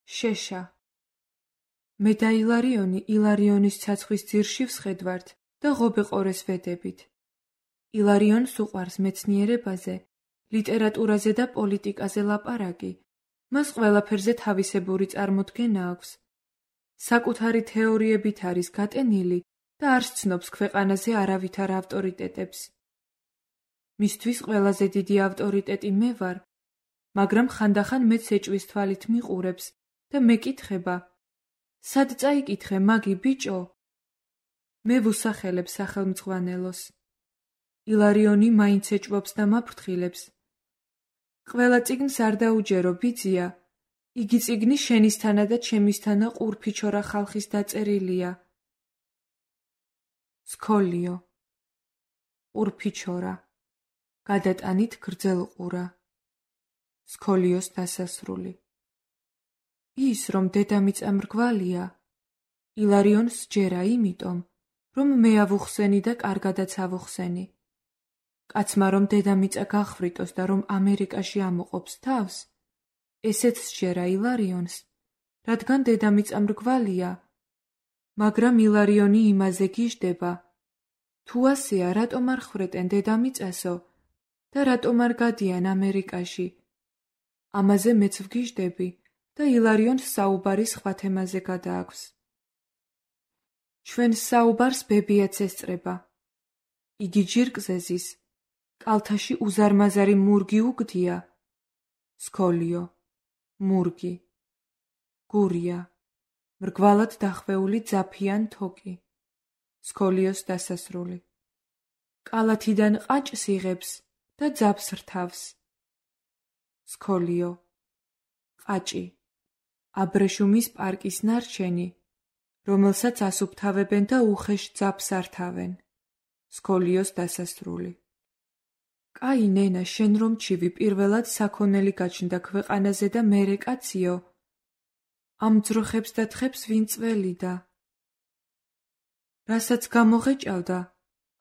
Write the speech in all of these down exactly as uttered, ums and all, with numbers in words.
შეშა. მე და ილარიონი ილარიონის ცაცხვის ძირში ვსხედვართ და ღობე-ყორეს ვედებით. ილარიონს უყვარს მეცნიერებაზე, ლიტერატურაზე და პოლიტიკაზე ლაპარაკი. მას ყველაფერზე თავისებური წარმოდგენა აქვს. საკუთარი თეორიებით არის გატენილი და არ სცნობს ქვეყანაზე არავითარ ავტორიტეტებს. მისთვის ყველაზე დიდი ავტორიტეტი მე ვარ, მაგრამ ხანდახან მეც ეჭვის თვალით მიყურებს და მეკითხება, სად წაიკითხე მაგი ბიჭო? მე ვუსახელებ სახელმძღვანელოს. ილარიონი მაინც ეჭვობს და მაფრთხილებს. ყველა წიგნს არ დაუჯერო ბიძია, იგი წიგნი შენისთანა და ჩემისთანა ყურფიჩორა ხალხის დაწერილია. სქოლიო. ყურფიჩორა. გადატანით გრძელყურა. სქოლიოს დასასრული. ის, რომ დედამიწა მრგვალია, ილარიონს სჯერა იმიტომ, რომ მე ავუხსენი და კარგადაც ავუხსენი. კაცმა რომ დედამიწა გახვრიტოს და რომ ამერიკაში ამოყოფს თავს, ესეც სჯერა ილარიონს, რადგან დედამიწა მრგვალია, მაგრამ ილარიონი იმაზე გიждდება, თუ ასეა, რატომ არ ხვრეტენ დედამიწასო და რატომ არ გადიან ამერიკაში? ამაზე მეც ვგიждები და ილარიონს საუბარი სხვა თემაზე გადააქვს. ჩვენს საუბარს ბებიაც ესწრება. იგი ჯირკზე ზის, კალთაში უზარმაზარი მურგი უგდია. სქოლიო. მურგი. გურია. მრგვალად დახვეული ძაფიან თოკი. სქოლიოს დასასრული. კალათიდან ყაჭს იღებს და ძაფს რთავს. სქოლიო. ყაჭი. აბრეშუმის პარკის ნარჩენი, რომელსაც ასუფთავებენ და უხეშ ძაფს ართავენ. სქოლიოს დასასრული. კაი ნენა, შენ რომ ჩივი პირველად საქონელი გაჩნდა ქვეყანაზე და მერე კაციო, ამ ძროხებს და თხებს ვინ წველიდა? რასაც გამოღეჭავდა,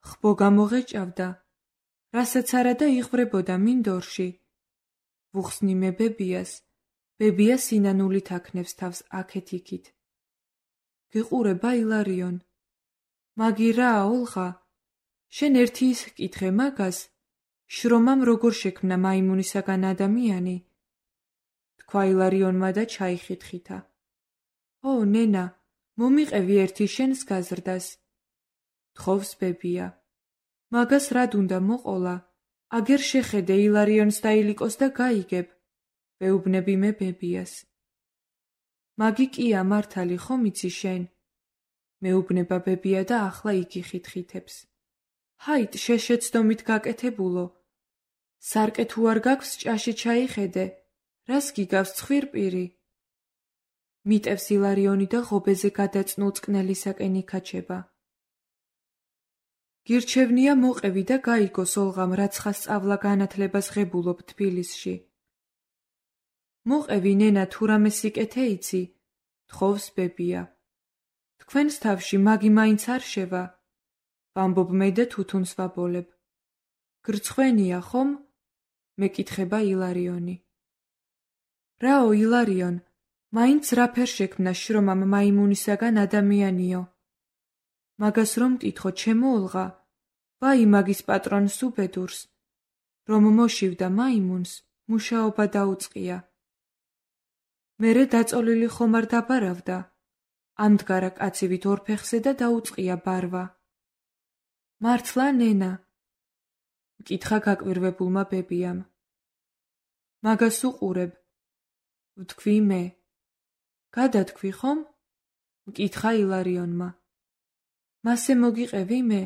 ხბო გამოღეჭავდა, რასაც არა და იღვრებოდა მინდორში. ვუხსნი მე ბებიას, ბებია სინანულით აქნევს თავს აქეთ-იქით. გიყურება ილარიონ? მაგი რა, ოლღა? შენ ერთი ის ჰკითხე მაგას, შრომამ როგორ შექმნა მაიმუნისაგან ადამიანი? თქვა ილარიონმა და ჩაიხითხითა. ო, ნენა, მომიყევი ერთი შენს გაზრდას. თხოვს ბებია. მაგას რად უნდა მოყოლა? აგერ შეხედე ილარიონს დაილიკოს და გაიგებ. ვეუბნები მე ბებიას. მაგი კია მართალი ხომ იცი შენ? მეუბნება ბებია და ახლა იგი ხითხითებს. ჰაით, შეშეცდომით გაკეთებულო. სარკე თუ არ გაქვს ჭაში ჩაიხედე, რას გიგავს ცხვირპირი? მიტევს ილარიონი და ღობეზე გადაწნულ წყნელისაკენ იქაჩება. გირჩევნია მოყევი და გაიგოს ოლღამ რაცხა სწავლა განათლებას ღებულობ თბილისში. მოყევი ნენა, თუ რამე სიკეთე იცი, თხოვს ბებია. თქვენს თავში მაგი მაინც არ შევა. ვამბობ მე და თუთუნს ვაბოლებ. გრცხვენია ხომ? მეკითხება ილარიონი. რაო ილარიონ, მაინც რაფერ შექმნა შრომამ მაიმუნისაგან ადამიანიო? მაგას რომ მკითხო ჩემო ოლღა, ვაი მაგის პატრონს უბედურს, რომ მოშივდა მაიმუნს, მუშაობა დაუწყია. მერე დაწოლილი ხომ არ დაბარავდა, ამდგარა კაცივით ორფეხზე და დაუწყია ბარვა. მართლა ნენა? მკითხა გაკვირვებულმა ბებიამ. მაგას უყურებ, ვთქვი მე. გადათქვი ხომ? მკითხა ილარიონმა. მასე მოგიყევი მე?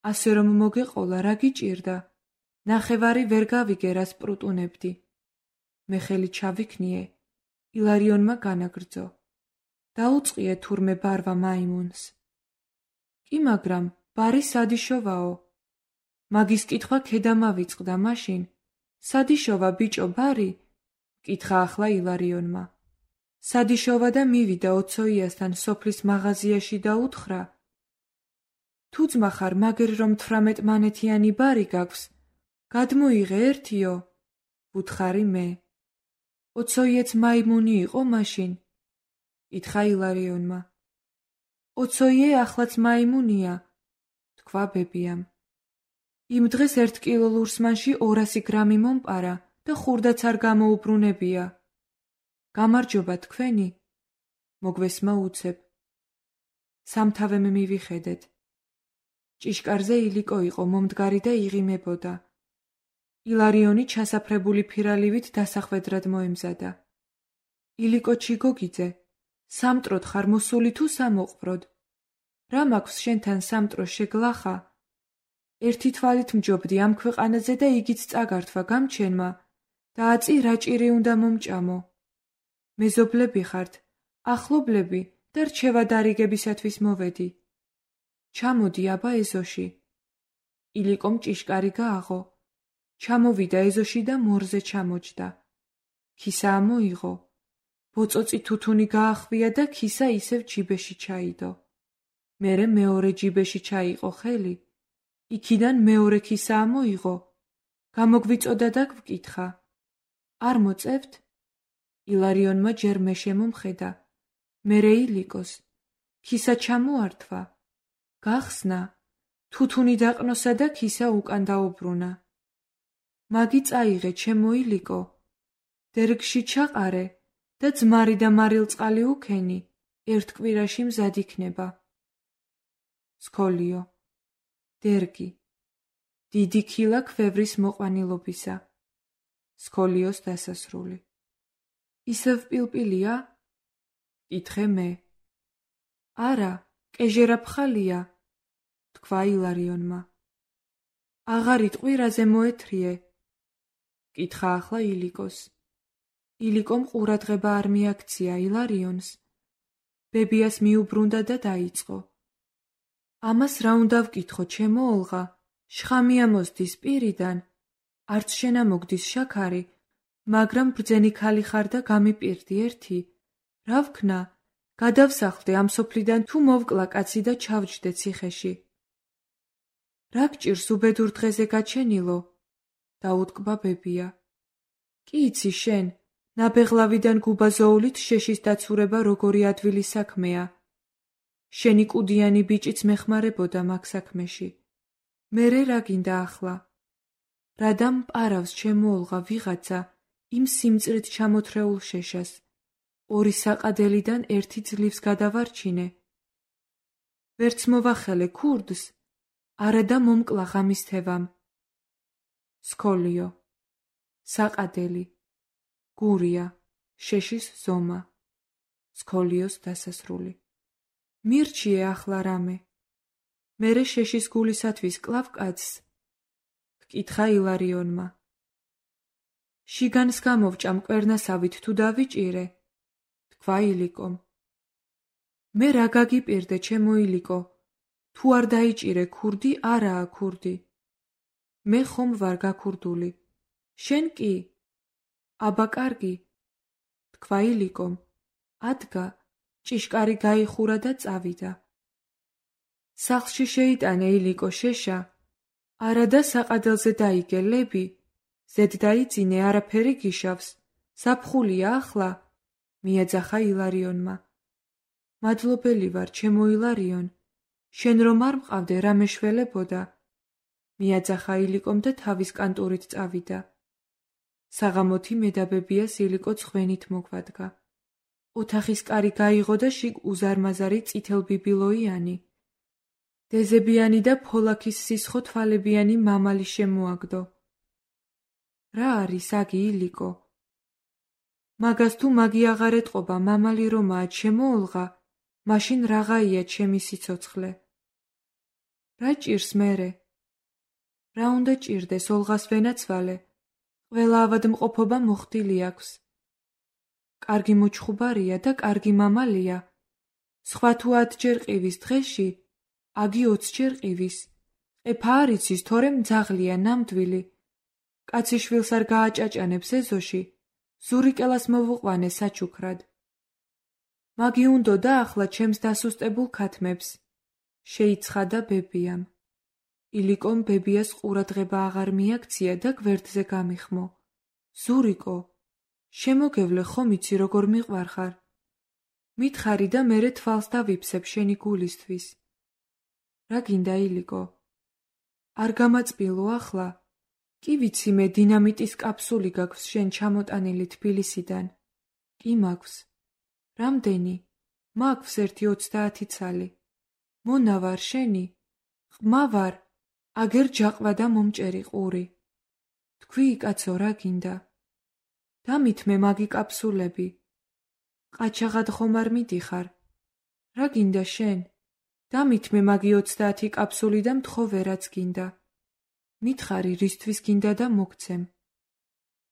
ასე რომ მოგეყოლა რა გიჭირდა? ნახევარი ვერ გავიგე რას პრუტუნებდი. მე ხელი ჩავიქნიე, ილარიონმა განაგრძო. დაუწყიე თურმე ბარვა მაიმუნს. კი მაგრამ, ბარი სადიშოვაო. მაგის კითხვა ქედამავიწყდა მაშინ. სადიშოვა ბიჭო ბარი? მკითხა ახლა ილარიონმა. სადიშოვა და მივიდა ოცოიასთან სოფლის მაღაზიაში და უთხრა. თუ ძმა ხარ, მაგერ რომ თვრამეტ მანეთიანი ბარი გაქვს, გადმოიღე ერთიო, ვუთხარი მე. ოცოიეც მაიმუნი იყო მაშინ? ითხრა ილარიონმა. ოცოიე ახლაც მაიმუნია, თქვა ბებიამ. იმ დღეს ერთ კილო ლურსმანში ორასი გრამი მომპარა და ხურდაც არ გამოუბრუნებია. გამარჯობა თქვენი? მოგვესმა უცებ. სამთავემ მივიხედეთ. ჭიშკარზე ილიკო იყო მომდგარი და იღიმებოდა. ილარიონი ჩასაფრებული ფირალივით დასახვედრად მოემზადა. ილიკოჩი გოგიძე, სამტროდ ხარ მოსული თუ სამოყვროდ? რა მაქვს შენთან სამტრო შეგლახა? ერთი თვალით მჯობდი ამ ქვეყანაზე და იგიც წაგართვა გამჩენმა და აწი რაჭირი უნდა მომჭამო. მეზობლები ხართ, ახლობლები და რჩევა დარიგებისათვის მოვედი. ჩამოდი აბა ეზოში. ილიკომ ჭიშკარი გააღო. ჩამოვიდა ეზოში და მორზე ჩამოჯდა. ქისა ამოიღო. ბოწოწი თუთუნი გაახვია და ქისა ისევ ჯიბეში ჩაიდო. მერე მეორე ჯიბეში ჩაიყო ხელი. იქიდან მეორე ქისა ამოიღო. გამოგვიწოდა და გვკითხა. არ მოწევთ? ილარიონმა ჯერ მე შემომხედა. მერე ილიკოს. ქისა ჩამოართვა. გახსნა. თუთუნი დაყნოსა და ქისა უკან დაუბრუნა. მაგი წაიღე ჩემო ილიკო. დერგში ჩაყარე და ძმარი და მარილწყალი უქენი, ერთ კვირაში მზად იქნება. სქოლიო. დერგი. დიდი ქილა ქვევრის მოყვანილობისა. სქოლიოს დასასრული. ისევ პილპილია? ითხრე მე. არა, კეჟერა ფხალია, თქვა ილარიონმა. აღარ იტყვირაზე მოეთრიე? კითხა ახლა ილიკოს. ილიკომ ყურადღება არ მიაქცია ილარიონს. ბებიას მიუბრუნდა და დაიწყო. ამას რა უნდა ვკითხო, ჩემო ოლღა? შხამია მოსდის პირიდან. არც შენ ამოგდის შაქარი, მაგრამ ბრძენი ქალი ხარ და გამიპირდი ერთი. რა ვქნა? გადავსახლდე ამ სოფლიდან თუ მოვკლა კაცი და ჩავჯდე ციხეში. რა გჭირს უბედურ დღეზე გაჩენილო? დაუტკბა ბებია. კი იცი შენ, ნაბეღლავიდან გუბაზოულით შეშის დაცურება როგორი ადვილი საქმეა. შენი კუდიანი ბიჭიც მეხმარებოდა მაგ საქმეში. მერე რა გინდა ახლა? რადამ პარავს ჩემო ოლღა ვიღაცა იმ სიმწრით ჩამოთრეულ შეშას. ორი საყადელიდან ერთი ძლივს გადავარჩინე. ვერც მოვახელე ქურდს, არადა მომკლა ღამის თევამ. სქოლიო. საყადელი. გურია. შეშის ზომა. სქოლიოს დასასრული. მირჩიე ახლა რამე. მერე შეშის გულისათვის კლავ კაცს. გკითხა ილარიონმა. შიგანს გამოვჭა მკვერნასავით თუ დავიჭირე? თქვა ილიკომ. მე რა გაგიპირდე ჩემო ილიკო? თუ არ დაიჭირე ქურდი, არაა ქურდი. მე ხომ ვარ გაქურდული. შენ კი? აბა კარგი. თქვა ილიკომ. ადგა, ჭიშკარი გაიხურა და წავიდა. სახლში შეიტანე ილიკო შეშა. არადა საყადელზე დაიგე ლები. ზედ დაიძინე, არაფერი გიშავს. ზაფხულია ახლა. მიაძახა ილარიონმა. მადლობელი ვარ, ჩემო ილარიონ. შენ რომ არ მყავდე, რა მეშველებოდა? მიაძახა ილიკომ და თავის კანტურით წავიდა. საღამოთი მედაბებიას ილიკო ცხვენით მოგვადგა. ოთახის კარი გაიღო და შიგ უზარმაზარი წითელბიბილოიანი, დეზებიანი და ფოლაქის სისხო თვალებიანი მამალი შემოაგდო. რა არის აგი ილიკო? მაგას თუ მაგი აღარ ეტყობა მამალი რომაა ჩემო ოლღა, მაშინ რაღაცია ჩემი სიცოცხლე. რა ჭირს მერე? რა უნდა ჭირდეს ოლღას ვენაცვალე? ყველა ავადმყოფობა მოხდილი აქვს. კარგი მოჩხუბარია და კარგი მამალია. სხვა თუ ათჯერ ყივის დღეში, აგი ოცჯერ ყივის. ყეფა არ იცის, თორემ მძაღლია, ნამდვილი. კაცი შვილს არ გააჭაჭანებს ეზოში, ზურიკელას მოვუყვანე საჩუქრად. მაგი უნდოდა ახლა ჩემს დასუსტებულ ქათმებს. შეიცხადა ბებიამ. ილიკომ ბებიას ყურადღება აღარ მიაქცია და გვერდზე გამიხმო. ზურიკო, შემოგევლე ხომ იცი როგორ მიყვარხარ. მითხარი და მერე თვალს დავიფსებ შენი გულისთვის. რა გინდა ილიკო? არ გამაწბილო ახლა? კი ვიცი მე დინამიტის კაფსული გაქვს შენ ჩამოტანილი თბილისიდან. კი მაქვს. რამდენი? მაქვს ერთი ოცდაათი ცალი. მონა ვარ შენი? ყმა ვარ, აგერ ჯაყვა და მომჭერი ყური. თქვი კაცო რა გინდა? დამითმე მაგი კაფსულები. ყაჩაღად ხომ არ მიდიხარ? რა გინდა შენ? დამითმე მაგი ოცდაათი კაფსული და მთხოვე რაც გინდა. მითხარი რისთვის გინდა და მოგცემ.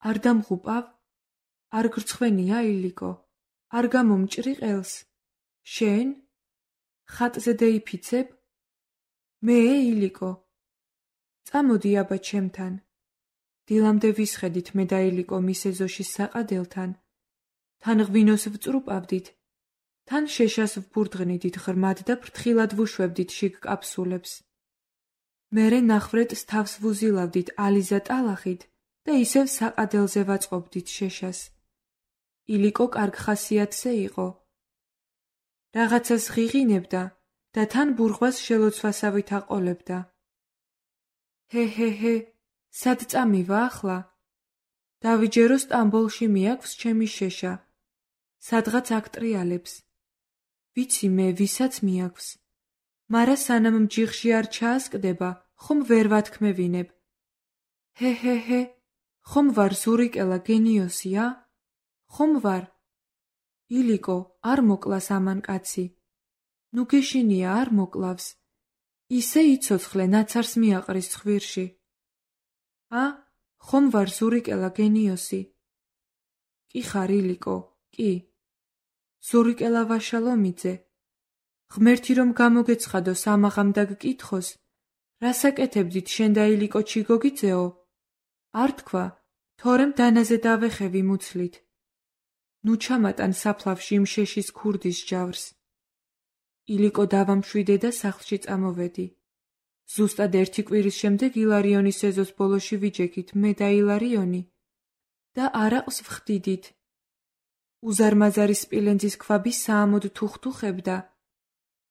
არ დამღუპავ? არ გრცხვენია ილიკო? არ გამომჭრი ყელს? შენ? ხატზე დაიფიცებ? მე ილიკო? წამოდი აბა ჩემთან. დილამდე ვისხედით მე და ილიკო მის ეზოში საყადილთან. თან ღვინოს ვწრუპავდით. თან შეშას ვბურდღნიდით ღრმად და ფრთხილად ვუშვებდით შიგ კაფსულებს. მერე ნახვრეტს თავს ვუზილავდით ალიზა ტალახით და ისევ საყადელზე ვაწყობდით შეშას. ილიკო კარგ ხასიათზე იყო. რაღაცას ღიღინებდა და თან ბურღვას შელოცვასავით აყოლებდა. ჰე ჰე ჰე, სად წამივა ახლა? დავიჯერო სტამბოლში მიაქვს ჩემი შეშა. სადღაც აქტრიალებს. ვიცი მე ვისაც მიაქვს. მარა სანამ მჯიხში არ ჩაასკდება, ხომ ვერ ვათქმევინებ. ჰე ჰე ჰე, ხომ ვარ ზურიკელა გენიოსია? ხომ ვარ? ილიკო, არ მოკლას ამან კაცი. ნუ გეშინია არ მოკლავს. ისე იცოცხლე ნაცარს მიაყრის ცხვირში. ა, ხომ ვარ ზურიკელა გენიოსი? კი ხარ ილიკო, კი. ზურიკელა ვაშალომიძე. ღმერთი რომ გამოგეცხადო სამაღამ და გკითხოს, რასაკეთებდით შენ და ილიკო ჩიგოგიძეო? არ თქვა, თორემ დანაზე დავეხევი მუცლით. ნუ ჩამატან საფლავში იმ შეშის ქურდის ჯავრს. ილიკო დავამშვიდე და სახლში წამოვედი. ზუსტად ერთი კვირის შემდეგ ილარიონის ეზოს ბოლოში ვიჯექით მე და ილარიონი და არაყს ვხდიდით. უზარმაზარი სპილენძის ქვაბი საამოდ თუხთუხებდა.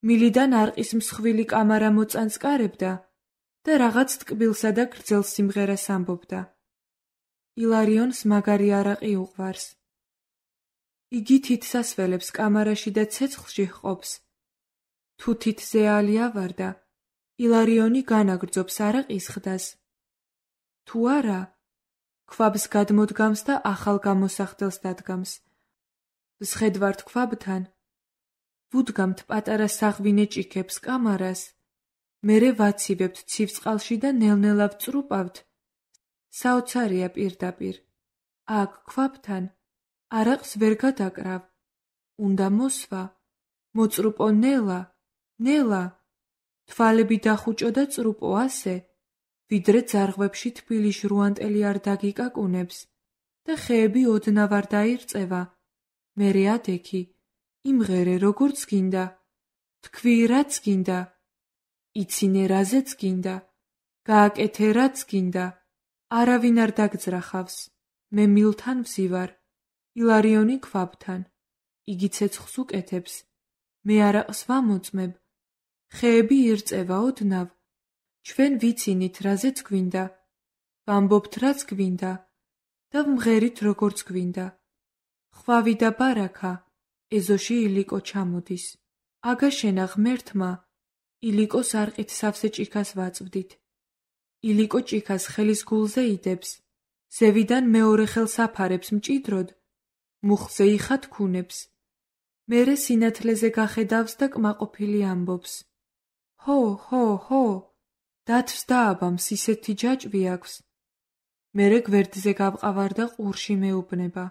მილიდან არყის მსხვილი კამარა მოწანწკარებდა და რაღაც ტკბილსა და გრძელ სიმღერას ამბობდა. ილარიონს მაგარი არაყი უყვარს. იგი თითსასველებს კამარაში და ცეცხლში ჰყოფს. თუ თითზე ალი ავარდა, ილარიონი განაგრძობს არაყის ხდას. თუ არა, ქვაბს გადმოდგამს და ახალ გამოსახდელს დადგამს. ვსხედვართ ქვაბთან, ვუდგამთ პატარა საღვინე ჭიქებს კამარას, მერე ვაცივებთ ცივწყალში და ნელ-ნელა ვწრუპავთ. საოცარია პირდაპირ. აქ ქვაბთან არაყს ვერ გადაკრავ. უნდა მოსვა, მოწრუპო ნელა, ნელა. თვალები დახუჭო და წრუპო ასე, ვიდრე ძარღვებში თბილი ჟრუანტელი არ დაგიკაკუნებს და ხეები ოდნავ არ დაირწევა. მერე ადექი, იმღერე როგორც გინდა, თქვი რაც გინდა, იცინე რაზეც გინდა, გააკეთე რაც გინდა, არავინ არ დაგძრახავს. მე მილთან ვზივარ, ილარიონი ქვაბთან, იგი ცეცხლს უკეთებს, მე არაყს ვამოწმებ. ხეები ირწევა ოდნავ, ჩვენ ვიცინით რაზეც გვინდა, ვამბობთ რაც გვინდა და ვმღერით როგორც გვინდა. ხვავი და ბარაქა, ეზოში ილიკო ჩამოდის. აგაშენა ღმერთმა, ილიკოს არყით სავსე ჭიქას ვაწვდით. ილიკო ჭიქას ხელის გულზე იდებს, ზევიდან მეორე ხელს აფარებს მჭიდროდ, მუხზე იხათქუნებს. მერე სინათლეზე გახედავს და კმაყოფილი ამბობს. ჰო, ჰო, ჰო, დათვს დააბამს, ისეთი ჯაჭვი აქვს. მერე გვერდზე გავყავარ და ყურში მეუბნება.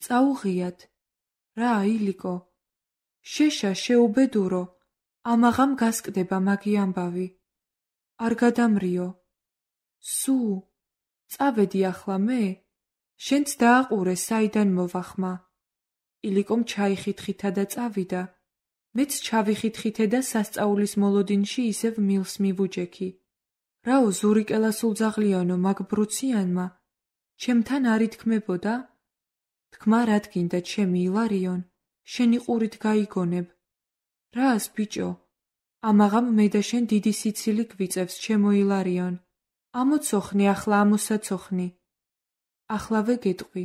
წაუღიათ. რა, ილიკო? შეშა შეუბედურო, ამაღამ გასკდება მაგი ამბავი. არ გადამრიო. სუ, წავედი ახლა მე? შენც დააყურე საიდან მოვახმა. ილიკომ ჩაიხითხითა და წავიდა. მეც ჩავიხითხithე და სასწაულის მოლოდინში ისევ მილს მივუჯექი. რაო ზურიკელა სულძაღლიანო მაგ ბრუციანმა, ჩემთან არ ითქმებოდა? თქმა რად გინდა ჩემი ილარიონ, შენი ყურით გაიგონებ. რას, ბიჭო? ამაღამ მე და შენ დიდი სიცილი გვიწევს, ჩემო ილარიონ. ამოცოხნი ახლა ამოსაცოხნი. ახლავე გეტყვი,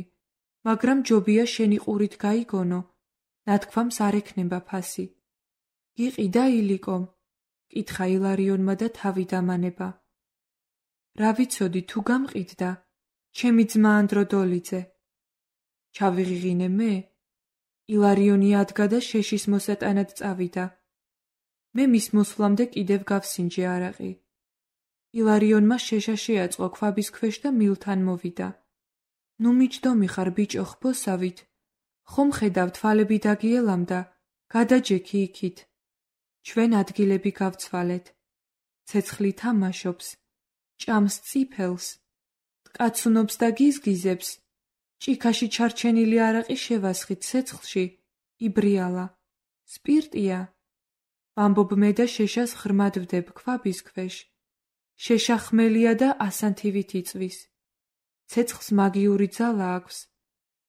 მაგრამ ჯობია შენი ყურით გაიგონო, ნათქვამს არ ექნება ფასი. გიყიდა ილიკომ? კითხა ილარიონმა და თავი დამანება. რა ვიცოდი თუ გამყიდდა, ჩემი ძმა ანდროდოლიძე. ჩავიღიღინე მე? ილარიონი ადგა და შეშის მოსატანად წავიდა. მე მის მოსვლამდე კიდევ გავსინჯე არაყი. ილარიონმა შეშა შეაწყო ქვაბის ქვეშ და მილთან მოვიდა. ნუ მიჯდომი ხარ, ბიჭო, ხბოსავით. ხომ ხედავ თვალები დაგიელამდა, გადაჯექი იქით. ჩვენ ადგილები გავცვალეთ. ცეცხლი თამაშობს, ჭამს წიფელს, ტკაცუნობს და გიზგიზებს. ჭიქაში ჩარჩენილი არაყი შევასხით ცეცხლში, იბრიალა. სპირტია. ვამბობ მე და შეშას ღრმად ვდებ ქვაბის ქვეშ. შეშა ხმელია და ასანთივით იწვის. ცეცხლს მაგიური ძალა აქვს.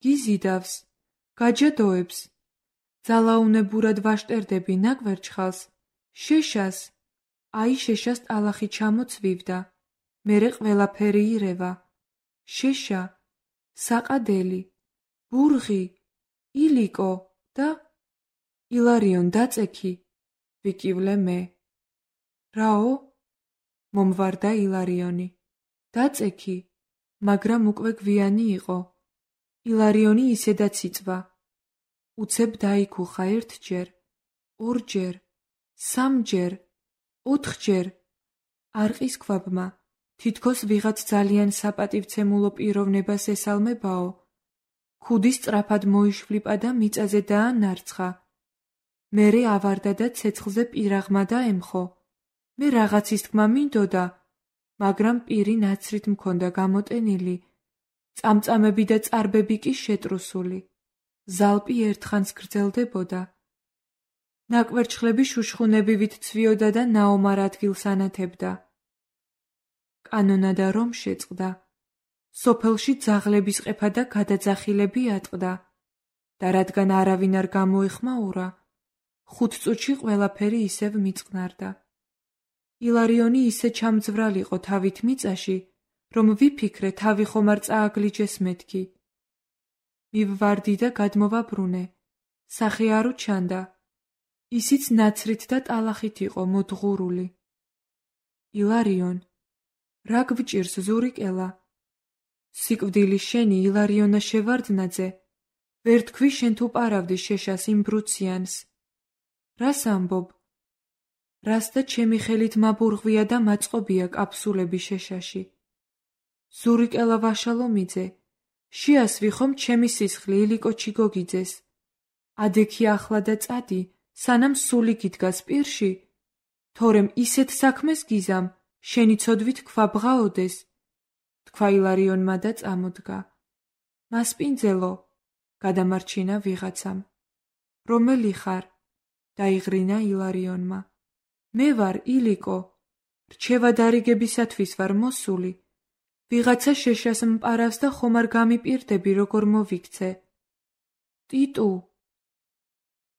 გიზიდავს, გაჯადოებს. ძალაუნებურად ვაშტერდები ნაკვერჩხალს, შეშას. აი შეშას ტალახი ჩამოცვივდა, მერე ყველაფერი ირევა. შეშა, საყადელი, ბურღი, ილიკო და ილარიონ დაწექი, ვიკივლე მე. რაო? მომვარდა ილარიონი. დაწექი, მაგრამ უკვე გვიანი იყო. ილარიონი ისედაც იწვა. უცებ დაიქუხა ერთჯერ, ორჯერ, სამჯერ, ოთხჯერ. არყის ქვაბმა, თითქოს ვიღაც ძალიან საპატივცემულო პიროვნებას ესალმებაო. ქუდი სწრაფად მოიშვლიპა და მიწაზე დაანარცხა. მერე ავარდა და ცეცხლზე პირაღმა დაემხო. მე რაღაცის თქმა მინდოდა, მაგრამ პირი ნაცრით მქონდა გამოტენილი, წამწამები და წარბები კი შეტრუსული. ზალპი ერთხანს გრძელდებოდა. ნაკვერჩხლები შუშხუნებივით ცვიოდა და ნაომარ ადგილს ანათებდა. კანონადა რომ შეწყდა. სოფელში ძაღლების ყეფა და გადაძახილები ატყდა და რადგან არავინ არ გამოეხმაურა, ხუთ წუთში ყველაფერი ისევ მიწყნარდა. ილარიონი ისე ჩამძვრალიყო თავით მიწაში, რომ ვიფიქრე თავი ხომ არ წააგლიჯეს მეთქი. მივვარდი და გადმოვაბრუნე. სახე არ უჩანდა. ისიც ნაცრით და ტალახით იყო მოძღურული. ილარიონ, რა გვჭირს ზურიკელა? სიკვდილი შენი ილარიონა შევარდნაძე, ვერ თქვი შენ თუ პარავდი შეშას იმ ბრუციანს. რას ამბობ? რას და ჩემი ხელით მაბურღვია და მაწყობია კაფსულები შეშაში. ზურიკელა ვაშალომიძე, შეასვი ხომ ჩემი სისხლი ილიკო ჩიგოგიძეს. ადექი ახლა და წადი, სანამ სული გიდგას პირში, თორემ ისეთ საქმეს გიზამ, შენი ცოდვით ქვაბღაოდეს. თქვა ილარიონმა და წამოდგა. მასპინძელო, გადამარჩინა ვიღაცამ. რომელი ხარ? დაიღრინა ილარიონმა. მე ვარ ილიკო, რჩევა დარიგებისათვის ვარ მოსული. ვიღაცა შეშას მპარავს და ხომ არ გამიპირდები როგორ მოვიქცე. ტიტუ!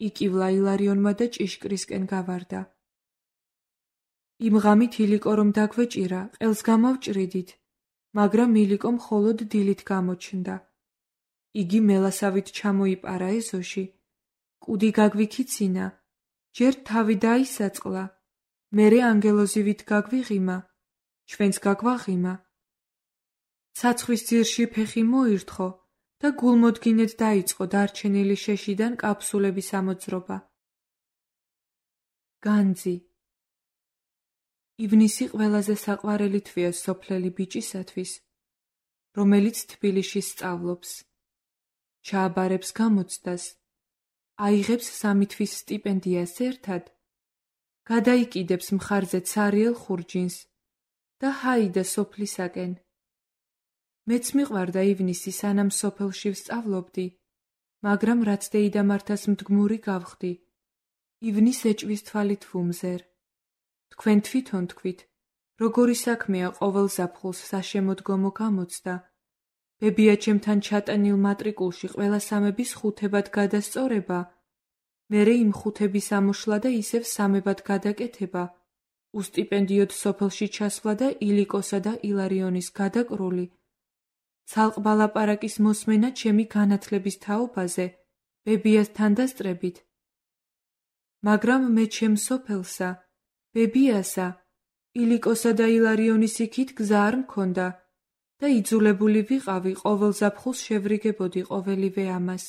იკივლა ილარიონმა და ჭიშკრისკენ გავარდა. იმ ღამით ილიკო რომ დაგვეჭირა, ყელს გამოვჭრიდით, მაგრამ ილიკო მხოლოდ დილით გამოჩნდა. იგი მელასავით ჩამოიპარა ეზოში, კუდი გაგვიქიცინა, ჯერ თავი დაისაწყლა, მერე ანგელოზივით გაგვიღიმა, ჩვენც გაგვაღიმა. ცაცხვის ძირში ფეხი მოირთხო და გულმოდგინედ დაიწყო დარჩენილი შეშიდან კაფსულების ამოძრობა. განძი. ივნისი ყველაზე საყვარელი თვეა სოფლელი ბიჭისათვის, რომელიც თბილისში სწავლობს. ჩააბარებს გამოცდას, აიღებს სამი თვის სტიპენდიას ერთად, გადაიკიდებს მხარზე ცარიელ ხურჯინს და ჰაიდა სოფლისაკენ. მეც მიყვარდა ივნისი, სანამ სოფელში ვსწავლობდი, მაგრამ რაც დეიდამართას მდგმური გავხდი, ივნის ეჭვის თვალით ვუმზერ. თქვენ თვითონ თქვით, როგორი საქმეა ყოველ ზაფხულს საშემოდგომო გამოცდა ბებია ჩემთან ჩატანილ მატრიკულში ყველა სამების ხუთებად გადასწორება, მერე იმ ხუთების ამოშლა და ისევ სამებად გადაკეთება, უსტიპენდიოდ სოფელში ჩასვლა და ილიკოსა და ილარიონის გადაკრული, ცალყბა ლაპარაკის მოსმენა ჩემი განათლების თაობაზე, ბებიასთან დასწრებით. მაგრამ მე ჩემ სოფელსა, ბებიასა, ილიკოსა და ილარიონის იქით გზა არ მქონდა და იძულებული ვიყავი ყოველ ზაფხულს შევრიგებოდი ყოველივე ამას.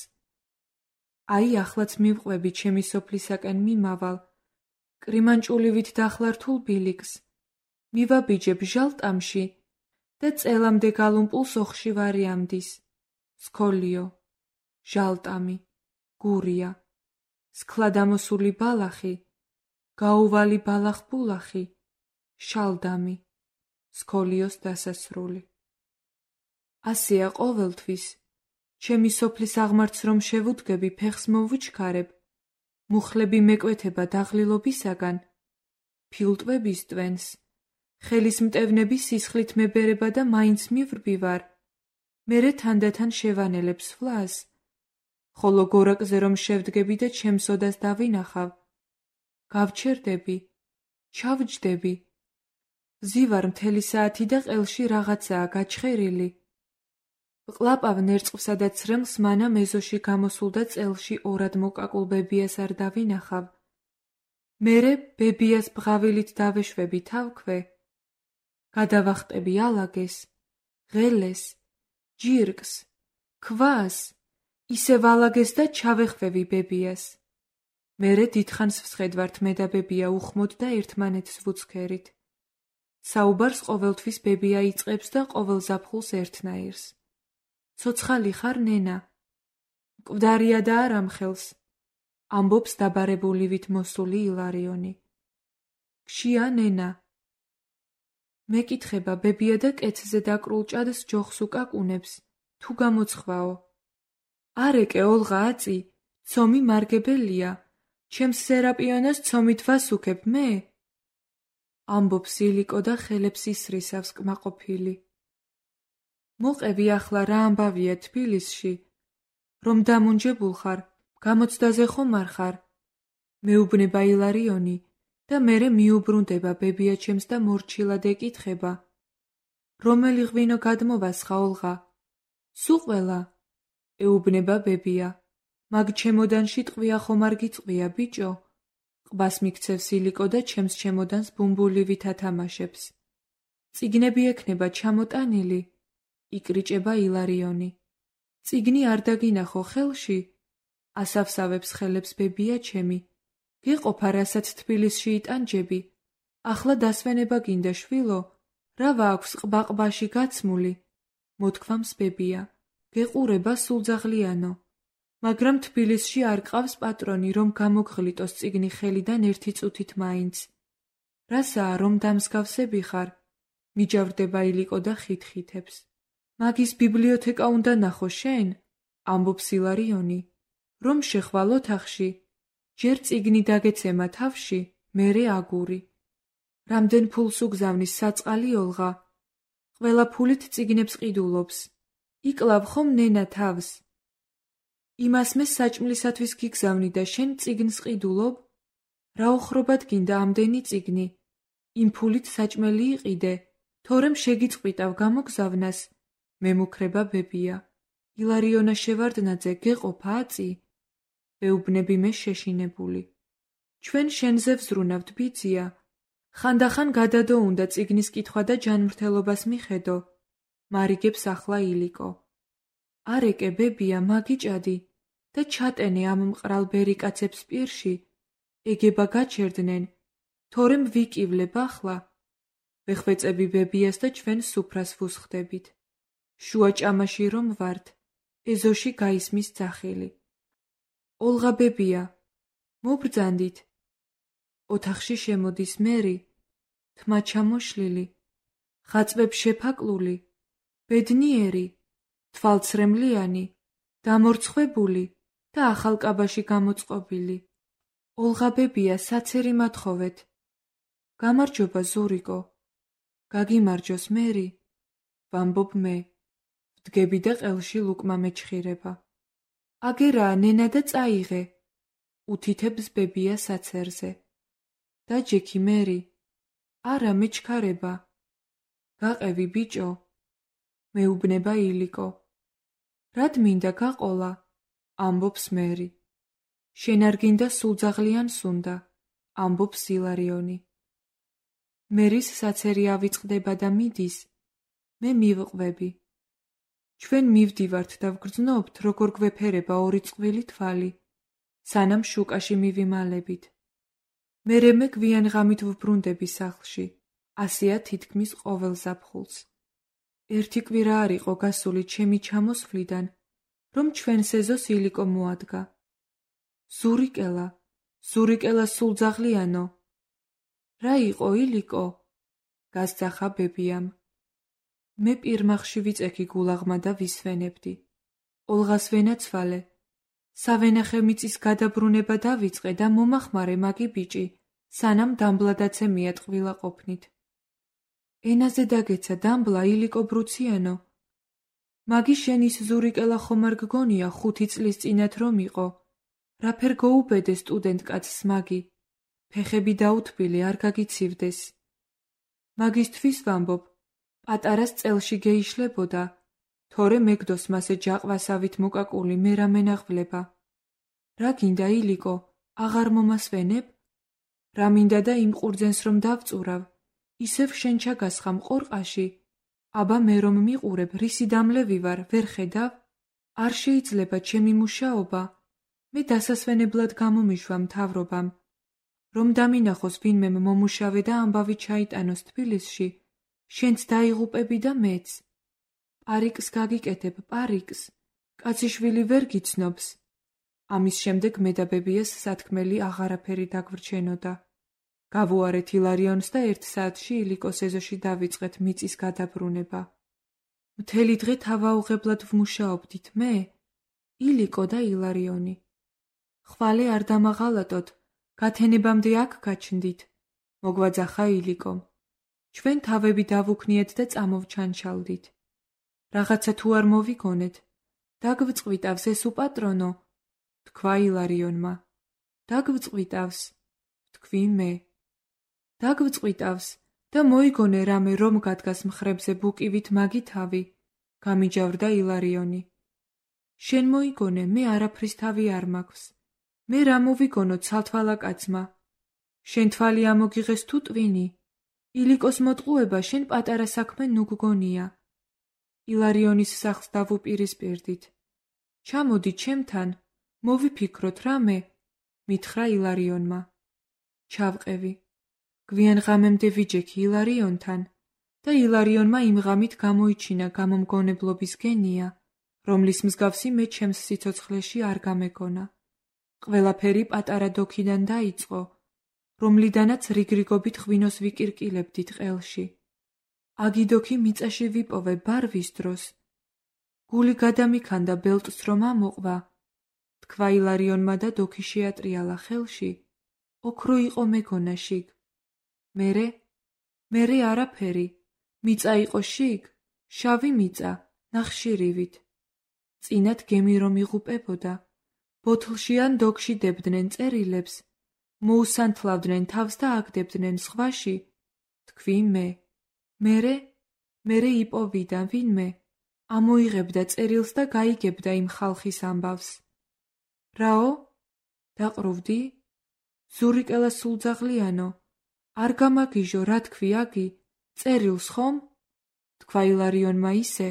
აი ახლაც მივყვები ჩემი სოფლისაკენ მიმავალ, კრიმანჭულივით დახლართულ ბილიკს, მივაბიჯებ ჟალტამში და წელამდე გალუმპულს ოხში ვარიამდის, სქოლიო, ჟალტამი, გურია, სქლადამოსული ბალახი, გაუვალი ბალახბულახი, შალდამი, სქოლიოს დასასრული. ასეა ყოველთვის, ჩემი სოფლის აღმართს რომ შევუდგები ფეხს მოვუჩქარებ, მუხლები მეკვეთება დაღლილობისაგან, ფილტვების ტვენს, ხელის მტევნები სისხლით მებერება და მაინც მივრბივარ, მერე თანდათან შევანელებს ფლას, ხოლო გორაკზე რომ შევდგები და ჩემს ოდას დავინახავ, გავჩერდები, ჩავჯდები, ვზივარ მთელი საათი და ყელში რაღაცაა გაჩხერილი. ვყლაპავ ნერწყვსა და ცრემლს მანამ ეზოში გამოსულ და წელში ორად მოკაკულ ბებიას არ დავინახავ. მერე ბებიას ბღავილით დავეშვები თავქვე. გადავახტები ალაგეს, ღელეს, ჯირკს, ქვას, ისევ ალაგეს და ჩავეხვევი ბებიას. მერე დიდხანს ვსხედვართ მე და ბებია უხმოდ და ერთმანეთს ვუცქერით. საუბარს ყოველთვის ბებია იწყებს და ყოველ ზაფხულს ერთნაირს. ცოცხალი ხარ, ნენა? მკვდარია და არ ამხელს, ამბობს დაბარებულივით მოსული ილარიონი. გშია, ნენა? მეკითხება ბებია და კეცზე დაკრულ ჭადს ჯოხს უკაკუნებს, თუ გამოცხვაო. არეკე ოლღა აწი, ცომი მარგებელია, ჩემს სერაპიონას ცომით ვასუქებ მე? ამბობს ილიკო და ხელებს ისრისავს კმაყოფილი. მოყევი ახლა რა ამბავია თბილისში, რომ დამუნჯებულ ხარ, გამოცდაზე ხომ არ ხარ? მეუბნება ილარიონი და მერე მიუბრუნდება ბებია ჩემს და მორჩილად ეკითხება. რომელი ღვინო გადმოვასხა ოლღა? სუყველა, ეუბნება ბებია, მაგ ჩემოდანში ტყვია ხომ არ გიწყვია, ბიჭო? ყბას მიქცევს ილიკო და ჩემს ჩემოდანს ბუმბულივით ათამაშებს. წიგნები ექნება ჩამოტანილი? იკრიჭება ილარიონი. წიგნი არ დაგინახო ხელში? ასავსავებს ხელებს ბებია ჩემი. გეყოფა რასაც თბილისში იტანჯები? ახლა დასვენება გინდა შვილო? რა ვაქვს ყბაყბაში გაცმული? მოთქვამს ბებია. გეყურება სულძაღლიანო. მაგრამ თბილისში არ გყავს პატრონი, რომ გამოგღლიტოს წიგნი ხელიდან ერთი წუთით მაინც. რასაა, რომ დამსგავსები ხარ? მიჯავრდება ილიკო და ხითხითებს. მაგის ბიბლიოთეკა უნდა ნახო შენ? ამბობს ილარიონი. რომ შეხვალ ოთახში, ჯერ წიგნი დაგეცემა თავში, მერე აგური. რამდენ ფულს უგზავნის საწყალი ოლღა? ყველა ფულით წიგნებს ყიდულობს. იკლავ ხომ ნენა თავს? იმას მე საჭმლისათვის გიგზავნი და შენ წიგნს ყიდულობ? რა ოხრობად გინდა ამდენი წიგნი? იმ ფულით საჭმელი იყიდე, თორემ შეგიწყვიტავ გამოგზავნას. მემუქრება ბებია. ილარიონა შევარდნაძე, გეყოფა აწი? ვეუბნები მე შეშინებული. ჩვენ შენზე ვზრუნავთ, ბიძია. ხანდახან გადადო უნდა წიგნის კითხვა და ჯანმრთელობას მიხედო. მარიგებს ახლა ილიკო. არეკე ბებია, მაგიჭადი და ჩატენე ამ მყრალ ბერიკაცებს პირში. ეგება გაჩერდნენ, თორემ ვიკივლებ ახლა. ვეხვეწები ბებიას და ჩვენ სუფრას ვუსხდებით. შუა ჭამაში რომ ვართ, ეზოში გაისმის ძახილი. ოლღა ბებია, მობრძანდით. ოთახში შემოდის მერი, თმა ჩამოშლილი, ხაწვებ შეფაკლული, ბედნიერი, თვალცრემლიანი, დამორცხვებული და ახალ კაბაში გამოწყობილი. ოლღა ბებია, საცერი მათხოვეთ. გამარჯობა ზურიკო. გაგიმარჯოს მერი, ვამბობ მე. ვდგები და ყელში ლუკმა მეჩხირება. აგერა ნენა და წაიღე, უთითებს ბებია საცერზე. დაჯექი მერი, არა მეჩქარება. გაყევი ბიჭო, მეუბნება ილიკო. რად მინდა გაყოლა, ამბობს მერი. შენ არ გინდა სულძაღლიანს უნდა, ამბობს ილარიონი. მერის საცერი ავიწყდება და მიდის, მე მივყვები. ჩვენ მივდივართ და ვგრძნობთ, როგორ გვეფერება ორი წყვილი თვალი, სანამ შუკაში მივიმალებით. მერე მე გვიან ღამით ვბრუნდები სახლში, ასეა თითქმის ყოველ ზაფხულს. ერთი კვირა არ იყო გასული ჩემი ჩამოსვლიდან, რომ ჩვენ სეზოს ილიკო მოადგა. ზურიკელა, ზურიკელა სულძაღლიანო. რა იყო ილიკო? გასძახა ბებიამ. მე პირმახში ვიწექი გულაღმა და ვისვენებდი. ოლღას ვენაცვალე. სავენახე მიწის გადაბრუნება დავიწყე და მომახმარე მაგი ბიჭი, სანამ დამბლადაცე მიატყვილა ყოფნით. ენაზე დაგეცა დამბლა ილიკო ბრუციანო. მაგი შენის ზურიკელა ხომ არ გგონია ხუთი წლის წინათ რომ იყო. რაფერ გოუბედე სტუდენტ კაცს მაგი. ფეხები დაუთბილი არ გაგიცივდეს. მაგისთვის ვამბობ, პატარას წელში გეიშლებოდა, თორე მეგდოს მასე ჯაყვასავით მოკაკული მე რა მენაღვლება. რა გინდა ილიკო, აღარ მომასვენებ? რა მინდა და იმ ყურძენს რომ დავწურავ, ისევ შენ ჩაგასხამ ყორყაში. აბა მე რომ მიყურებ, რისი დამლევი ვარ, ვერ ხედავ? არ შეიძლება ჩემი მუშაობა. მე დასასვენებლად გამომიშვა მთავრობამ. რომ დამინახოს ვინმემ მომუშავე და ამბავი ჩაიტანოს თბილისში, შენც დაიღუპები და მეც. პარიკს გაგიკეთებ, პარიკს. კაციშვილი ვერ გიცნობს. ამის შემდეგ მე და ბებიას სათქმელი აღარაფერი დაგვრჩენოდა. გავუარეთ ილარიონს და ერთ საათში ილიკოს ეზოში დავიწყეთ მიწის გადაბრუნება. მთელი დღე თავაუღებლად ვმუშაობდით მე, ილიკო და ილარიონი. ხვალე არ დამაღალატოთ, გათენებამდე აქ გაჩნდით, მოგვაძახა ილიკომ. ჩვენ თავები დავუქნიეთ და წამოვჩანჩალდით. რაღაცა თუ არ მოვიგონეთ, დაგვწყვიტავს ეს უპატრონო, თქვა ილარიონმა. დაგვწყვიტავს, თქვი მე. დაგვწყვიტავს და მოიგონე რამე რომ გადგას მხრებზე ბუკივით მაგი თავი, გამიჯავრდა ილარიონი. შენ მოიგონე, მე არაფრის თავი არ მაქვს. მე რა მოვიგონო ცალთვალა კაცმა. შენ თვალი ამოგიღეს თუ ტვინი. ილიკოს მოტყუება შენ პატარა საქმე ნუ გგონია. ილარიონის სახლს დავუპირისპირდით. ჩამოდი ჩემთან, მოვიფიქროთ რამე, მითხრა ილარიონმა. ჩავყევი. გვიან ღამემდე ვიჯექი ილარიონთან და ილარიონმა იმ ღამით გამოიჩინა გამომგონებლობის გენია, რომლის მსგავსი მე ჩემს სიცოცხლეში არ გამეგონა. ყველაფერი პატარა დოქიდან დაიწყო, რომლიდანაც რიგრიგობით ღვინოს ვიკირკილებდით ყელში. აგიდოქი მიწაში ვიპოვე ბარვის დროს. გული გადამიქანდა ბელტს რომ ამოყვა, თქვა ილარიონმა და დოქი შეატრიალა ხელში. ოქრო იყო მეგონა შიგ. მერე? მერე არაფერი. მიწა იყო შიგ, შავი მიწა, ნახშირივით. წინათ გემი რომ იღუპებოდა, ბოთლში ან დოქში დებდნენ წერილებს, მოუსანთლავდნენ თავს და აგდებდნენ სხვაში, თქვი მე. მერე? მერე იპოვიდა ვინმე, ამოიღებდა წერილს და გაიგებდა იმ ხალხის ამბავს. რაო? დაყრუვდი? ზურიკელა სულძაღლიანო, არ გამაგიჟო, რა თქვი აგი, წერილს ხომ? თქვა ილარიონმა ისე,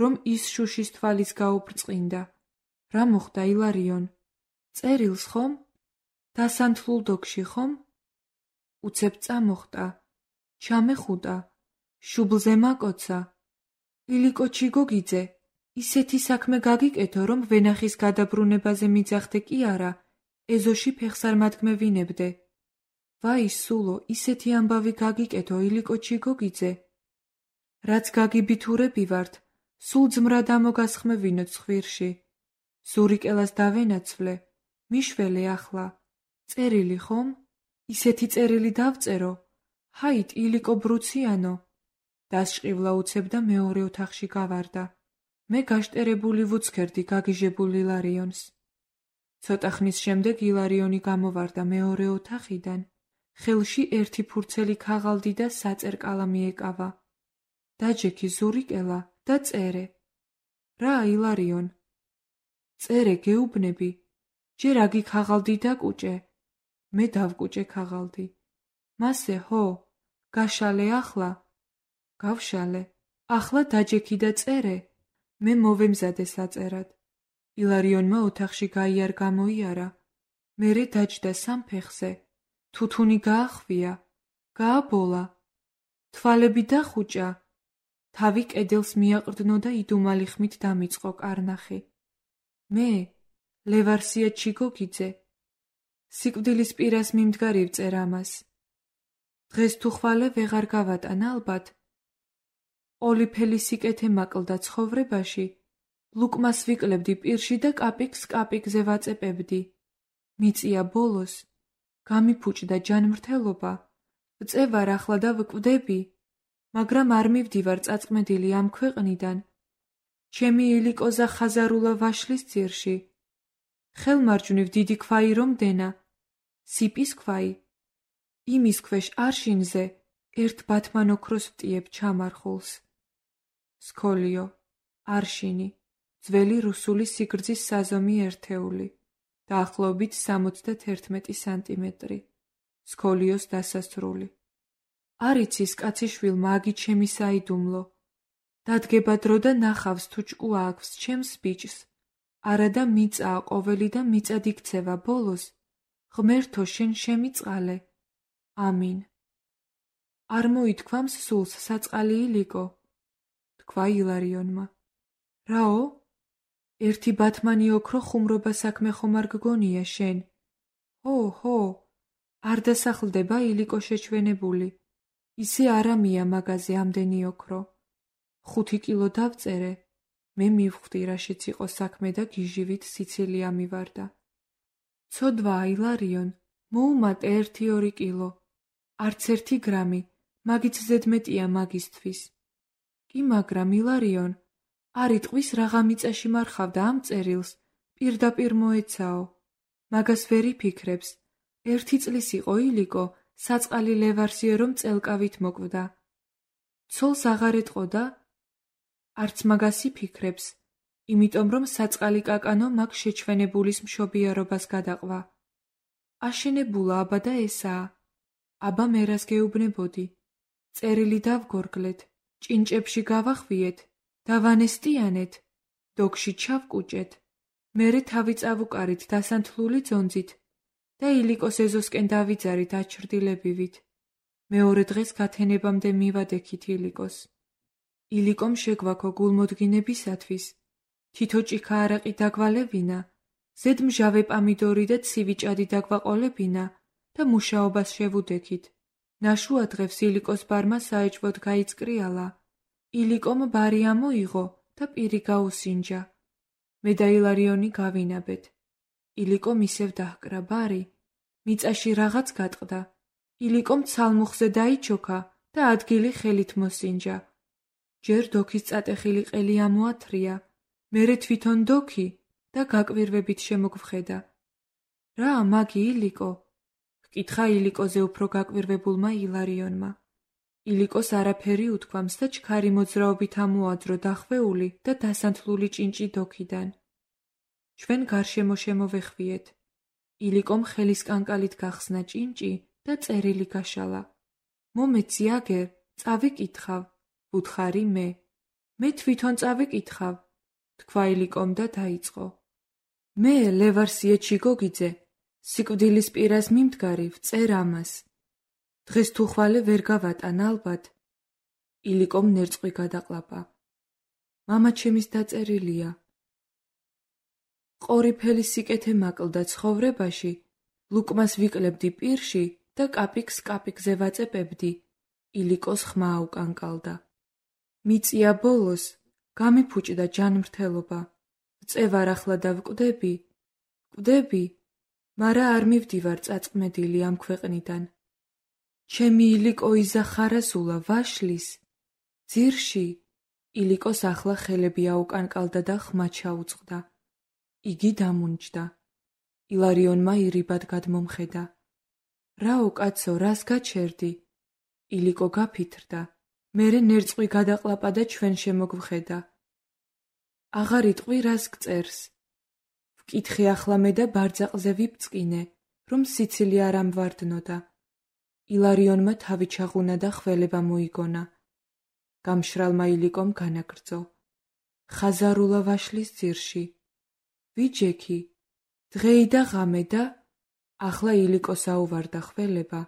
რომ ის შუშის თვალის გაუბრწყინდა. რა მოხდა ილარიონ? წერილს ხომ? დასანთლულ დოქში ხომ? უცებ წამოხტა, ჩამეხუტა, შუბლზე მაკოცა. ილიკო ჩიგოგიძე, ისეთი საქმე გაგიკეთო, რომ ვენახის გადაბრუნებაზე მიძახდე კი არა, ეზოში ფეხს არ მადგმევინებდე. ვაი სულო, ისეთი ამბავი გაგიკეთო, ილიკო ჩიგოგიძე. რაც გაგიბითურები ვართ, სულ ძმრად ამოგასხმევინოთ ცხვირში. ზურიკელას დავენაცვლე, მიშველე ახლა. წერილი ხომ? ისეთი წერილი დავწერო. ჰაით, ილიკო ბრუციანო. დასჭყივლა უცებ და მეორე ოთახში გავარდა. მე გაშტერებული ვუცქერდი გაგიჟებულ ილარიონს. ცოტა ხნის შემდეგ ილარიონი გამოვარდა მეორე ოთახიდან, ხელში ერთი ფურცელი ქაღალდი და საწერ კალამი ეკავა. დაჯექი ზურიკელა და წერე. რა ილარიონ? წერე გეუბნები, ჯერ აგი ქაღალდი დაკუჭე. მე დავკუჭე ქაღალდი. მასე ჰო, გაშალე ახლა? გავშალე. ახლა დაჯექი და წერე. მე მოვემზადე საწერად. ილარიონმა ოთახში გაიარ გამოიარა. მერე დაჯდა სამფეხზე. თუთუნი გაახვია, გააბოლა. თვალები დახუჭა. თავი კედელს მიაყრდნო და იდუმალი ხმით დამიწყო კარნახი. მე, ლევარსია ჩიგოგიძე, სიკვდილის პირას მიმდგარი ვწერ ამას. დღეს თუ ხვალე ვეღარ გავატან ალბათ. ყოლიფელი სიკეთე მაკლდა ცხოვრებაში, ლუკმას ვიკლებდი პირში და კაპიკს კაპიკზე ვაწეპებდი. მიწია ბოლოს, გამიფუჭდა ჯანმრთელობა, ვწევარ ახლა და ვკვდები, მაგრამ არ მივდივარ წაწმედილი ამ ქვეყნიდან. ჩემი ილიკოზა ხაზარულა ვაშლის ძირში. ხელმარჯვნივ დიდი ქვაი რომ დენა, სიპის ქვაი. იმის ქვეშ არშინზე ერთ ბათმან ოქროს ვტიებ ჩამარხულს. სქოლიო, არშინი, ძველი რუსული სიგრძის საზომი ერთეული, დაახლოებით სამოცდათერთმეტი სანტიმეტრი. სქოლიოს დასასრული. არიცის კაციშვილმა აგი ჩემი საიდუმლო. დადგება დრო და ნახავს თუ ჭკუა აქვს ჩემს ბიჭს. არადა მიწაა ყოველი და მიწად იქცევა ბოლოს. ღმერთო შენ შემიწყალე. ამინ. არ მოითქვამს სულს საწყალი ილიკო? თქვა ილარიონმა. რაო? ერთი ბათმანი ოქრო ხუმრობა საქმე ხომ არ გგონია შენ? ჰო, ჰო, არ დასახლდება ილიკო შეჩვენებული. ისე არამია მაგაზე ამდენი ოქრო. ხუთი კილო დავწერე. მე მივხვდი რაშიც იყო საქმე და გიჟივით სიცილი ამივარდა. ცოდვა ილარიონ, მოუმატე ერთი ორი კილო. არც ერთი გრამი, მაგით ზედმეტია მაგისთვის. კი მაგრამ ილარიონ, არ იტყვის რაღა მიწაში მარხავდა ამ წერილს, პირდაპირ მოეცაო. მაგას ვერ იფიქრებს. ერთი წლის იყო ილიკო, საწყალი ლევარსიე რომ წელკავით მოკვდა. ცოლს აღარ ეტყოდა? არც მაგას იფიქრებს, იმიტომ რომ საწყალი კაკანო მაგ შეჩვენებულის მშობიარობას გადაყვა. აშენებულა აბა და ესაა. აბა მერას გეუბნებოდი. წერილი დავგორგლეთ, ჭინჭებში გავახვიეთ, დავანესტიანეთ, დოგში ჩავკუჭეთ, მერე თავი წავუკარით დასანთლული ძონძით და ილიკოს ეზოსკენ დავიძარით აჩრდილებივით. მეორე დღეს გათენებამდე მივადექით ილიკოს. ილიკომ შეგვაქო გულმოდგინებისათვის, თითო ჭიქა არაყი დაგვალევინა, ზედ მჟავე პამიდორი და ცივი ჭადი დაგვაყოლებინა და მუშაობას შევუდექით. ნაშუა დღეს ილიკოს ბარმა საეჭვოდ გაიწკრიალა. ილიკომ ბარი ამოიღო და პირი გაუსინჯა. მე და ილარიონი გავინაბეთ. ილიკომ ისევ დაჰკრა ბარი. მიწაში რაღაც გატყდა. ილიკომ ცალმუხზე დაიჩოქა და ადგილი ხელით მოსინჯა. ჯერ დოქის წატეხილი ყელი ამოათრია, მერე თვითონ დოქი და გაკვირვებით შემოგვხედა. რა მაგი ილიკო? ჰკითხა ილიკოზე უფრო გაკვირვებულმა ილარიონმა. ილიკოს არაფერი უთქვამს და ჩქარი მოძრაობით ამოაძრო დახვეული და დასანთლული ჭინჭი დოქიდან. ჩვენ გარშემო შემოვეხვიეთ. ილიკომ ხელის კანკალით გახსნა ჭინჭი და წერილი გაშალა. მომეცი აგერ, წავიკითხავ, ვუთხარი მე. მე თვითონ წავიკითხავ, თქვა ილიკომ და დაიწყო. მე ლევარსიე ჩიგოგიძე, სიკვდილის პირას მიმდგარი ვწერ ამას. დღეს თუ ხვალე ვერ გავატან ალბათ. ილიკომ ნერწყვი გადაყლაპა. მამა ჩემის დაწერილია. ყორიფელი სიკეთე მაკლდა ცხოვრებაში, ლუკმას ვიკლებდი პირში და კაპიკს კაპიკზე ვაწეპებდი. ილიკოს ხმა აუკანკალდა. მიწია ბოლოს, გამიფუჭდა ჯანმრთელობა. ვწევარ ახლა და ვკვდები, ვკვდები, მარა არ მივდივარ წაწმედილი ამ ქვეყნიდან. ჩემი ილიკო იზახარასულა ვაშლის, ძირში, ილიკოს ახლა ხელები აუკანკალდა და ხმა ჩაუწყდა. იგი დამუნჯდა. ილარიონმა ირიბად გადმომხედა. რაო კაცო, რას გაჩერდი? ილიკო გაფითრდა. მერე ნერწყვი გადაყლაპა და ჩვენ შემოგვხედა. აღარ იტყვი, რას გწერს? ვკითხე ახლა მე და ბარძაყზე ვიბწყინე, რომ სიცილი არ ამვარდნოდა. ილარიონმა თავი ჩაღუნა და ხველება მოიგონა. გამშრალმა ილიკომ განაგრძო. ხაზარულა ვაშლის ძირში. ვიჯექი, დღეი და ღამე და ახლა ილიკოს აუვარდა ხველება.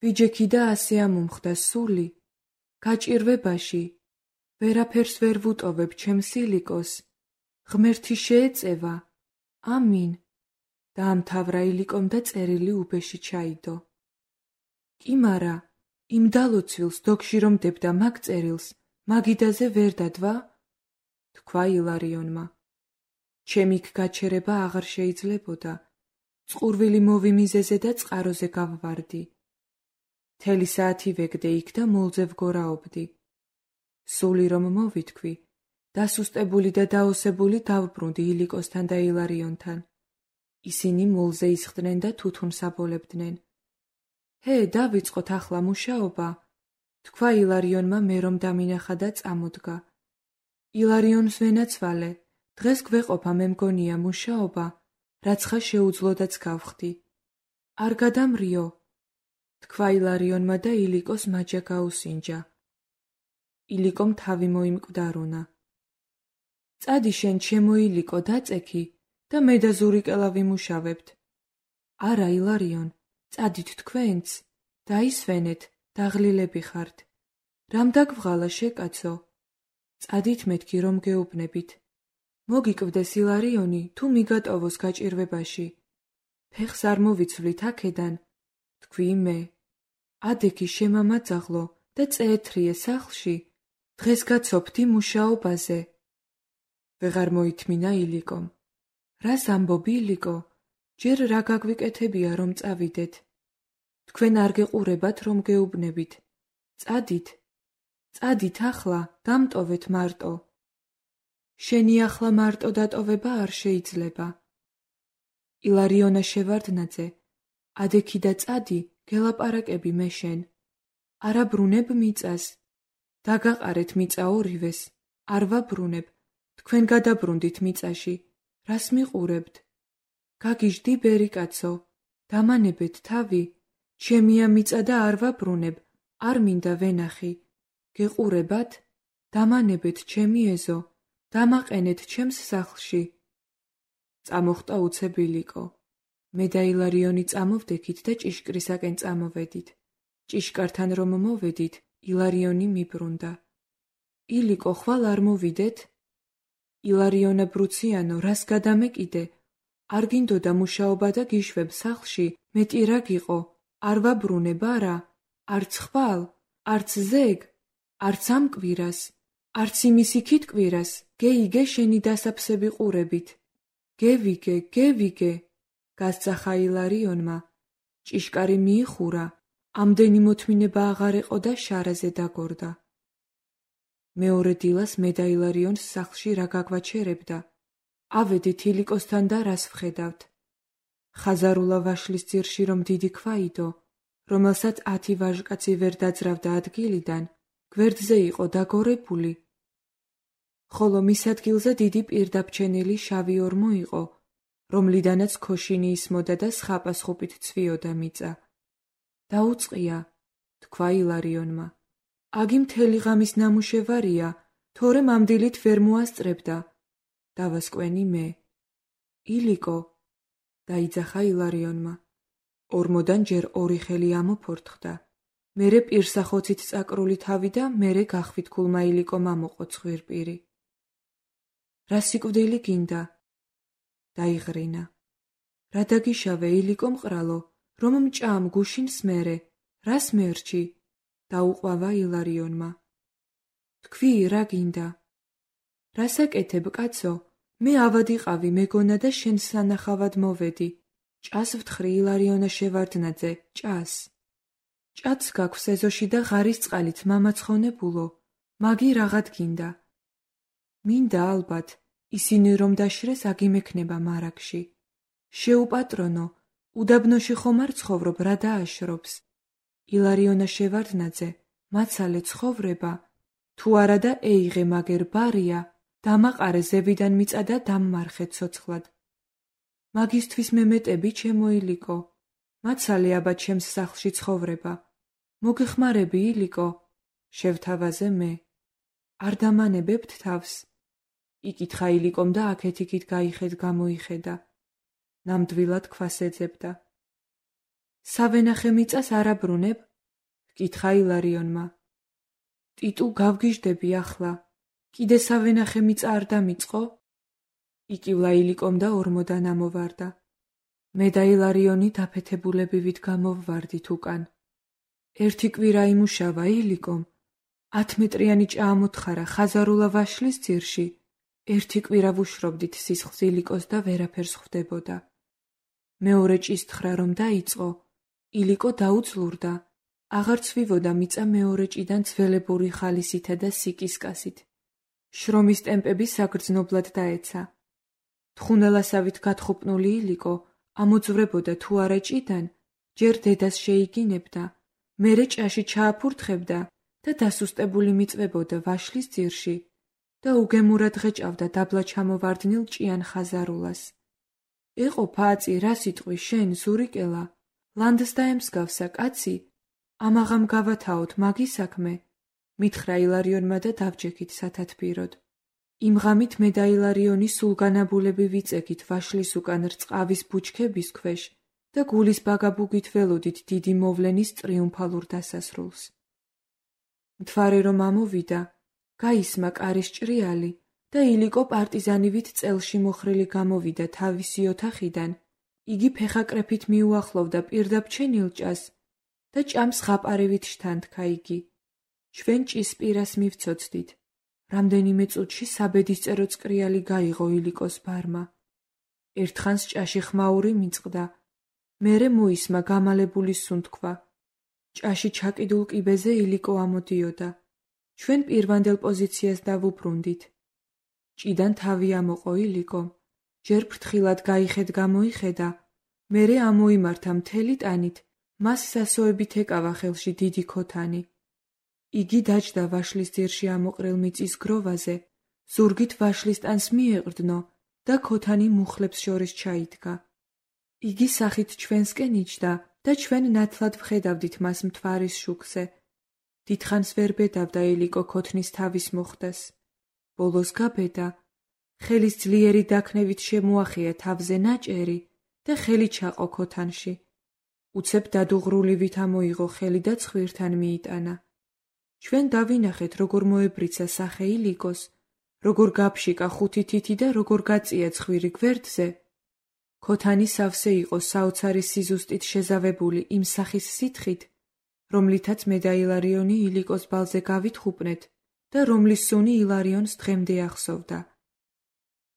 ვიჯექი და ასე ამომხდა სული. გაჭირვებაში, ვერაფერს ვერ ვუტოვებ ჩემს ილიკოს. ღმერთი შეეწევა. ამინ. დაამთავრა ილიკომ და წერილი უბეში ჩაიდო. კი მარა, იმ დალოცვილს დოგში რომ დებდა მაგ წერილს, მაგიდაზე ვერ დადვა? თქვა ილარიონმა. ჩემი გაჩერება აღარ შეიძლებოდა. წყურვილი მოვიმიზეზე და წყაროზე გავვარდი. მთელი საათი ვეგდე იქ და მოლზე ვგორაობდი. სული რომ მოვითქვი, დასუსტებული და დაოსებული დავბრუნდი ილიკოსთან და ილარიონთან. ისინი მოლზე ისხდნენ და თუთუნს აბოლებდნენ. ჰე, დავიწყოთ ახლა მუშაობა, თქვა ილარიონმა მე რომ დამინახა და წამოდგა. ილარიონს ვენაცვალე, დღეს გვეყოფა მე მგონია მუშაობა, რაც ხა შეუძლოდაც გავხდი. არ გადამრიო, თქვა ილარიონმა და ილიკოს მაჯა გაუსინჯა. ილიკომ თავი მოიმკვდარუნა. წადი შენ ჩემო ილიკო დაწექი და მე და ზურიკელა ვიმუშავებთ. არა ილარიონ, წადით თქვენც, დაისვენეთ, დაღლილები ხართ. რამ დაგვღალა შეკაცო? წადით მეთქი რომ გეუბნებით. მოგიკვდეს ილარიონი, თუ მიგატოვოს გაჭირვებაში. ფეხს არ მოვიცვლით აქედან, თქვი მე. ადექი შემამაძაღლო და წეეთრიე სახლში, დღეს გაცოფდი მუშაობაზე. ვეღარ მოითმინა ილიკომ. რას ამბობ ილიკო? ჯერ რა გაგვიკეთებია რომ წავიდეთ? თქვენ არ გეყურებათ რომ გეუბნებით. წადით, წადით ახლა, დამტოვეთ მარტო. შენი ახლა მარტო დატოვება არ შეიძლება. ილარიონა შევარდნაძე, ადექი და წადი, გელაპარაკები მე შენ. არა ბრუნებ მიწას. დაგაყარეთ მიწა ორივეს, არ ვაბრუნებ, თქვენ გადაბრუნდით მიწაში, რას მიყურებთ? გაგიჟდი ბერიკაცო, დამანებეთ თავი, ჩემია მიწა და არ ვაბრუნებ, არ მინდა ვენახი. გეყურებათ? დამანებეთ ჩემი ეზო, დამაყენეთ ჩემს სახლში. წამოხტა უცებ ილიკო. მე და ილარიონი წამოვდექით და ჭიშკრისაკენ წამოვედით. ჭიშკართან რომ მოვედით, ილარიონი მიბრუნდა. ილიკო, ხვალ არ მოვიდეთ? ილარიონა ბრუციანო, რას გადამეკიდე? არ გინდოდა მუშაობა და გიშვებ სახლში, მეტი რა გიყო, არ ვაბრუნებ არა, არც ხვალ, არც ზეგ, არც ამ კვირას, არც იმის იქით კვირას, გეიგე შენი დასაფსები ყურებით. გევიგე, გევიგე, გასძახა ილარიონმა. ჭიშკარი მიიხურა, ამდენი მოთმინება აღარ ეყო და შარაზე დაგორდა. მეორე დილას მე და ილარიონს სახლში რა გაგვაჩერებდა. ავედით ილიკოსთან და რას ვხედავთ. ხაზარულა ვაშლის ძირში რომ დიდი ქვაიდო, რომელსაც ათი ვაჟკაცი ვერ დაძრავდა ადგილიდან, გვერდზე იყო დაგორებული. ხოლო მის ადგილზე დიდი პირდაბჩენილი შავი ორმო იყო, რომლიდანაც ქოშინი ისმოდა და სხაპასხუპით ცვიოდა მიწა. დაუწყია, თქვა ილარიონმა. აგი მთელი ღამის ნამუშევარია, თორემ ამ დილით ვერ მოასწრებდა. დავასკვენი მე. ილიკო, დაიძახა ილარიონმა. ორმოდან ჯერ ორი ხელი ამოფორთხდა. მერე პირსახოცით წაკრული თავი და მერე გახვითქულმა ილიკომ ამოყო ცხვირპირი. რა სიკვდილი გინდა? დაიღრინა. რა დაგიშავე ილიკო მყრალო, რომ მჭამ გუშინს მერე, რას მერჩი? დაუყვავა ილარიონმა. თქვი, რა გინდა? რასაკეთებ, კაცო? მე ავადიყავი მეგონა და შენ სანახავად მოვედი. ჭას ვთხრი ილარიონა შევარდნაძე, ჭას. ჭაც გაქვს ეზოში და ღარის წყალით მამაცხონებულო. მაგი რაღაც გინდა. მინდა ალბათ, ისინი რომ დაშრეს აგიმექნება მარაგში. შეუპატრონო, უდაბნოში ხომ არ ცხოვრობ, რა დააშრობს. ილარიონა შევარდნაძე, მაცალე ცხოვრება, თუ არა და ეიღე მაგერ ბარია, დამაყარე ზევიდან მიწა და დამმარხე ცოცხლად. მაგისთვის მემეტები ჩემო ილიკო, მაცალე აბა ჩემს სახლში ცხოვრება. მოგეხმარები ილიკო, შევთავაზე მე. არ დამანებებთ თავს? იკითხა ილიკომ და აქეთ-იქით გაიხედ გამოიხედა. ნამდვილად ქვას ეძებდა. სავენახე მიწას არ აბრუნებ? ჰკითხა ილარიონმა. ტიტუ გავგიჟდები ახლა. კიდე სავენახე მიწა არ დამიწყო? იკივლა ილიკომ და ორმოდან ამოვარდა. მე და ილარიონი დაფეთებულებივით გამოვვარდით უკან. ერთი კვირა იმუშავა ილიკომ. ათმეტრიანი ჭაამოთხარა ხაზარულა ვაშლის ძირში. ერთი კვირა ვუშრობდით სისხლს ილიკოს და ვერაფერს ხვდებოდა. მეორე ჭისთხრა რომ დაიწყო, ილიკო დაუძლურდა. აღარ ცვივოდა მიწა მეორე ჭიდან ძველებური ხალისითა და სიკისკასით. შრომის ტემპები საგრძნობლად დაეცა. თხუნელასავით გათხუპნული ილიკო ამოძვრებოდა თუ არა ჭიდან, ჯერ დედას შეიგინებდა, მერე ჭაში ჩააფურთხებდა და დასუსტებული მიწვებოდა ვაშლის ძირში და უგემურად ღეჭავდა დაბლა ჩამოვარდნილ ჭიან ხაზარულას. ეყო ფაწი, რა სიტყვი შენ, ზურიკელა, ლანდს დაემსგავსა კაცი, ამაღამ გავათაოთ მაგი საქმე, მითხრა ილარიონმა და დავჯექით სათათბიროდ. იმ ღამით მე და ილარიონი სულგანაბულები ვიწეგით ვაშლის უკან რწყავის ბუჩქების ქვეშ და გულის ბაგაბუგით ველოდით დიდი მოვლენის ტრიუმფალურ დასასრულს. მთვარე რომ ამოვიდა, გაისმა კარის ჭრიალი და ილიკო პარტიზანივით წელში მოხრილი გამოვიდა თავისი ოთახიდან, იგი ფეხაკრეფით მიუახლოვდა პირდაბჩენილ ჭას და ჭამს ღაპარივით შთანთქა იგი. ჩვენ ჭის პირას მივცოცდით. რამდენიმე წუთში საბედისწერო წკრიალი გაიღო ილიკოს ბარმა. ერთხანს ჭაში ხმაური მიწყდა, მერე მოისმა გამალებული სუნთქვა. ჭაში ჩაკიდულ კიბეზე ილიკო ამოდიოდა. ჩვენ პირვანდელ პოზიციას დავუბრუნდით. ჭიდან თავი ამოყო ილიკომ, ჯერ ფრთხილად გაიხედ გამოიხედა, მერე ამოიმართა მთელი ტანით, მას სასოებით ეკავა ხელში დიდი ქოთანი. იგი დაჯდა ვაშლის ძირში ამოყრილ მიწის გროვაზე, ზურგით ვაშლის ტანს მიეყრდნო და ქოთანი მუხლებს შორის ჩაიდგა. იგი სახით ჩვენსკენ იჯდა და ჩვენ ნათლად ვხედავდით მას მთვარის შუქზე. დიდხანს ვერ ბედავდა ილიკო ქოთნის თავის მოხდას. ბოლოს გაბედა, ხელის ძლიერი დაქნევით შემოახია თავზე ნაჭერი და ხელი ჩაყო ქოთანში. უცებ დადუღრულივით ამოიღო ხელი და ცხვირთან მიიტანა. ჩვენ დავინახეთ, როგორ მოებრიცა სახე ილიკოს, როგორ გაფშიკა ხუთი თითი და როგორ გაწია ცხვირი გვერდზე. ქოთანი სავსე იყო საოცარი სიზუსტით შეზავებული იმ სახის სითხით, რომლითაც მე და ილარიონი ილიკოს ბალზე გავითხუპნეთ და რომლის სუნი ილარიონს დღემდე ახსოვდა.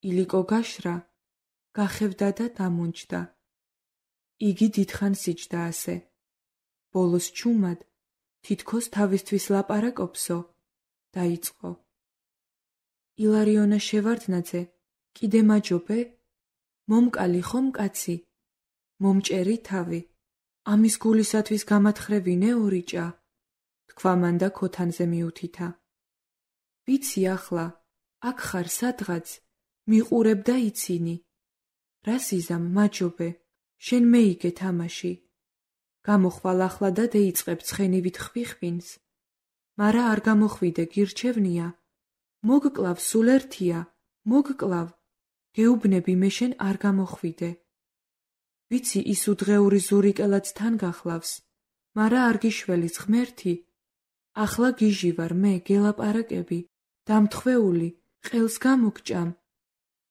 ილიკო გაშრა, გახევდა და დამონჯდა. იგი დიდხანს იჯდა ასე. ბოლოს ჩუმად, თითქოს თავისთვის ლაპარაკობსო, დაიწყო. ილარიონა შევარდნაძე, კიდე მაჯობე? მომკალი ხომ კაცი? მომჭერი თავი. ამის გულისათვის გამათხრევინე ორი ჭა? თქვა მან და ქოთანზე მიუთითა. ვიცი ახლა, აქ ხარ სადღაც, მიყურებ და იცინი. რა სიზამ, მაჯობე, შენ მეიგე თამაში. გამოხვალ ახლა და დაიწყებ ცხენივით ხვიხვინს. მარა არ გამოხვიდე, გირჩევნია. მოგკლავ სულ ერთია, მოგკლავ. გეუბნები მე შენ არ გამოხვიდე. ვიცი ის უდღეური ზურიკელაც თან გახლავს, მარა არ გიშველის ღმერთი. ახლა გიჟი ვარ მე, გელაპარაკები, დამთხვეული, ყელს გამოგჭამ.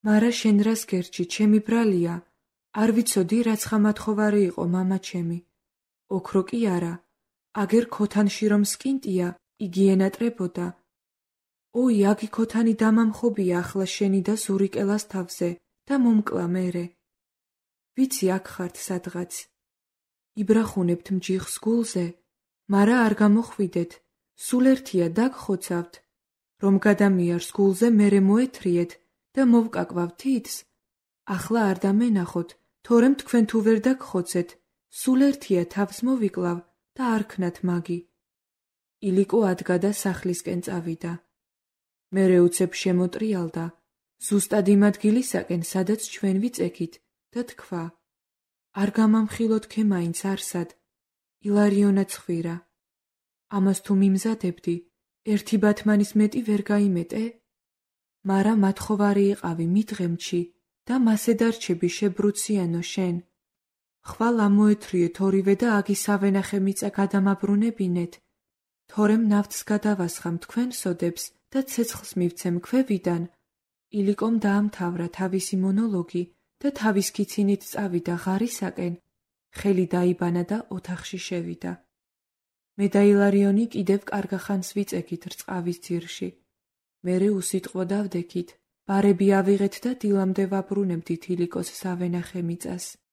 მარა შენ რას გერჩი, ჩემი ბრალია, არ ვიცოდი რაც ხამათხოვარი იყო მამა ჩემი. ოქრო კი არა, აგერ ქოთანში რომ სკინტია, იგი ენატრებოდა. ოი, აგი ქოთანი დამამხობია ახლა შენი და ზურიკელას თავზე და მომკლა მერე. ვიცი აქ ხართ სადღაც. იბრახუნებთ მჯიხს გულზე, მარა არ გამოხვიდეთ, სულ ერთია დაგხოცავთ, რომ გადამიარს გულზე მერე მოეთრიეთ და მოვკაკავ თითს, ახლა არ დამენახოთ, თორემ თქვენ თუ ვერ დაგხოცეთ, სულ ერთია თავს მოვიკლავ და არ ქნათ მაგი. ილიკო ადგა და სახლისკენ წავიდა. მერე უცებ შემოტრიალდა, ზუსტად იმ ადგილისაკენ, სადაც ჩვენ ვიწექით და თქვა: არ გამამხილოთ-ქე მაინც არსად, ილარიონა ცხვირა. ამას თუ მიმზადებდი, ერთი ბათმანის მეტი ვერ გაიმეტე? მარა მათხოვარი იყავი მიდღემჩი და მასე დარჩები შებრუციანო შენ. ხვალ ამოეთრიეთ ორივე და აგი სავენახე მიწა გადამაბრუნებინეთ, თორემ ნავთს გადავასხამ თქვენ სოდებს და ცეცხლს მივცემ ქვევიდან. ილიკომ დაამთავრა თავისი მონოლოგი და თავის ქიცინით წავიდა ღარისაკენ, ხელი დაიბანა და ოთახში შევიდა. მე და ილარიონი კიდევ კარგახანს ვიწექით რწყავის ძირში. მერე უსიტყვო დავდექით, ბარები ავიღეთ და დილამდე ვაბრუნებდით ილიკოს სავენახე მიწას.